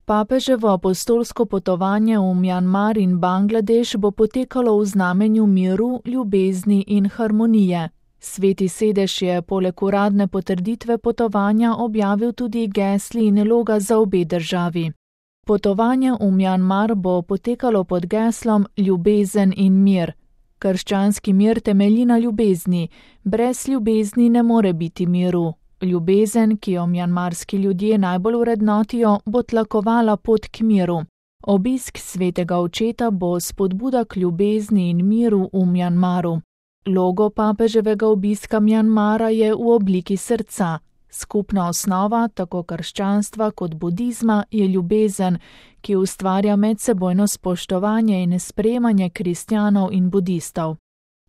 Papeževo apostolsko potovanje v Mjanmar in Bangladeš bo potekalo v znamenju miru, ljubezni in harmonije. Sveti sedež je poleg uradne potrditve potovanja objavil tudi gesli in loga za obe državi. Potovanje v Mjanmar bo potekalo pod geslom Ljubezen in mir. Krščanski mir temelji na ljubezni, brez ljubezni ne more biti miru. Ljubezen, ki jo mjanmarski ljudje najbolj vrednotijo, bo tlakovala pot k miru. Obisk svetega očeta bo spodbuda k ljubezni in miru v Mjanmaru. Logo papeževega obiska Mjanmara je v obliki srca. Skupna osnova tako krščanstva kot budizma je ljubezen, ki ustvarja medsebojno spoštovanje in sprejemanje kristjanov in budistov.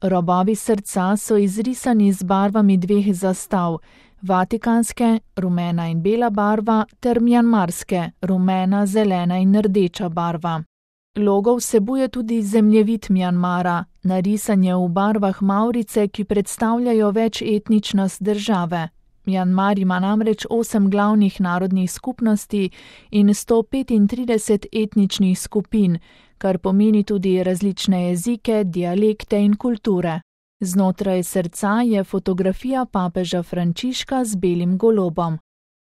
Robovi srca so izrisani z barvami dveh zastav, vatikanske, rumena in bela barva, ter mjanmarske, rumena, zelena in rdeča barva. Logo vsebuje tudi zemljevid Mjanmara, narisan je v barvah mavrice, ki predstavljajo večetničnost države. Mjanmar ima namreč 8 glavnih narodnih skupnosti in 135 etničnih skupin, kar pomeni tudi različne jezike, dialekte in kulture. Znotraj srca je fotografija papeža Frančiška z belim golobom.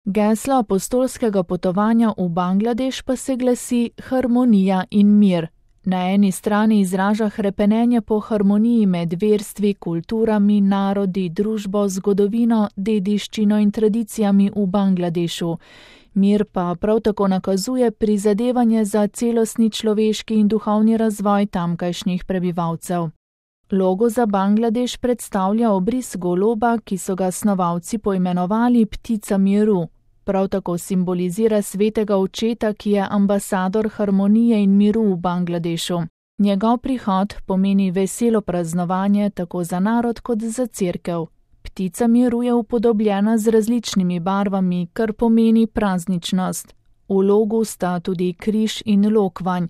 Geslo apostolskega potovanja v Bangladeš pa se glasi harmonija in mir. Na eni strani izraža hrepenenje po harmoniji med verstvi, kulturami, narodi, družbo, zgodovino, dediščino in tradicijami v Bangladešu. Mir pa prav tako nakazuje prizadevanje za celostni človeški in duhovni razvoj tamkajšnjih prebivalcev. Logo za Bangladeš predstavlja obris goloba, ki so ga snovalci poimenovali ptica miru. Prav tako simbolizira svetega očeta, ki je ambasador harmonije in miru v Bangladešu. Njegov prihod pomeni veselo praznovanje tako za narod kot za cerkev. Ptica miru je upodobljena z različnimi barvami, kar pomeni prazničnost. V logu sta tudi križ in lokvanj.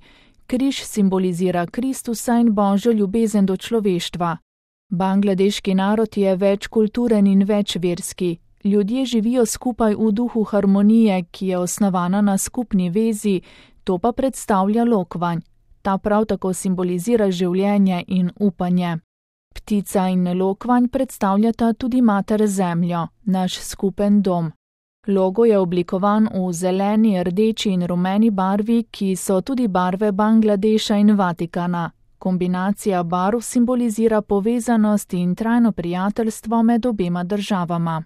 Križ simbolizira Kristusa in Božjo ljubezen do človeštva. Bangladeški narod je večkulturen in večverski. Ljudje živijo skupaj v duhu harmonije, ki je osnovana na skupni vezi, to pa predstavlja lokvanj. Ta prav tako simbolizira življenje in upanje. Ptica in lokvanj predstavljata tudi mater zemljo, naš skupen dom. Logo je oblikovan v zeleni, rdeči in rumeni barvi, ki so tudi barve Bangladeša in Vatikana. Kombinacija barv simbolizira povezanost in trajno prijateljstvo med obema državama.